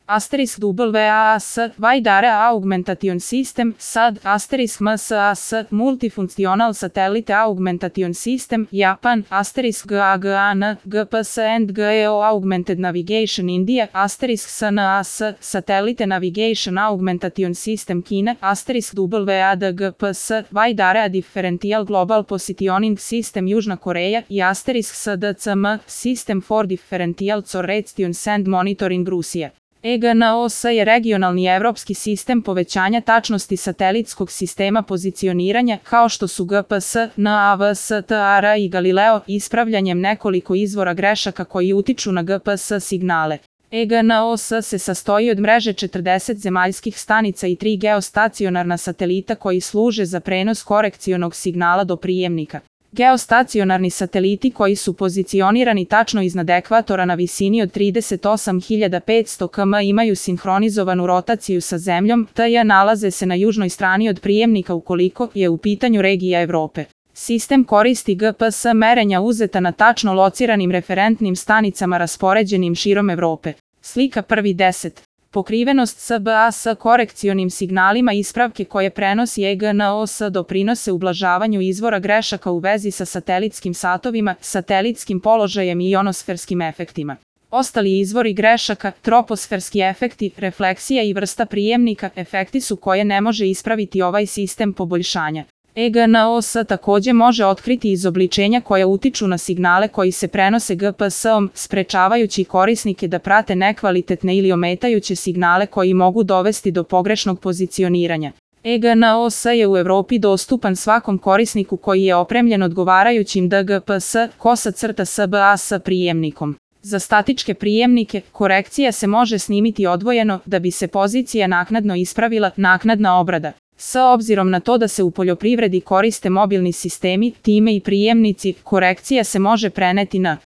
asterisk WAAS, Wide Area Augmentation System, SAD, asterisk MSAS, Multifunctional Satellite Augmentation System, Japan, asterisk GAGAN, GPS and GEO Augmented Navigation India, asterisk SNS, Satellite Navigation Augmentation System Kina, asterisk WADGPS, Wide Area Differential Global Positioning System Južna Koreja i asterisk SDCM, System for Differential Correlation and Monitoring Rusija. EGNOS je regionalni evropski sistem povećanja tačnosti satelitskog sistema pozicioniranja, kao što su GPS, NAVS, TAR i Galileo, ispravljanjem nekoliko izvora grešaka koji utiču na GPS signale. EGNOS se sastoji od mreže 40 zemaljskih stanica i 3 geostacionarna satelita koji služe za prenos korekcionog signala do prijemnika. Geostacionarni sateliti koji su pozicionirani tačno iznad ekvatora na visini od 38.500 km imaju sinhronizovanu rotaciju sa Zemljom, te nalaze se na južnoj strani od prijemnika ukoliko je u pitanju regija Evrope. Sistem koristi GPS merenja uzeta na tačno lociranim referentnim stanicama raspoređenim širom Evrope. Slika 1.10. Pokrivenost SBA sa korekcionim signalima ispravke koje prenosi EGNOS doprinose ublažavanju izvora grešaka u vezi sa satelitskim satovima, satelitskim položajem i ionosferskim efektima. Ostali izvori grešaka, troposferski efekti, refleksija i vrsta prijemnika, efekti su koje ne može ispraviti ovaj sistem poboljšanja. EGNOS takođe može otkriti izobličenja koja utiču na signale koji se prenose GPS-om, sprečavajući korisnike da prate nekvalitetne ili ometajuće signale koji mogu dovesti do pogrešnog pozicioniranja. EGNOS je u Evropi dostupan svakom korisniku koji je opremljen odgovarajućim DGPS-SBA sa prijemnikom. Za statičke prijemnike, korekcija se može snimiti odvojeno da bi se pozicija naknadno ispravila, naknadna obrada. S obzirom na to da se u poljoprivredi koriste mobilni sistemi, time i prijemnici, korekcija se može preneti na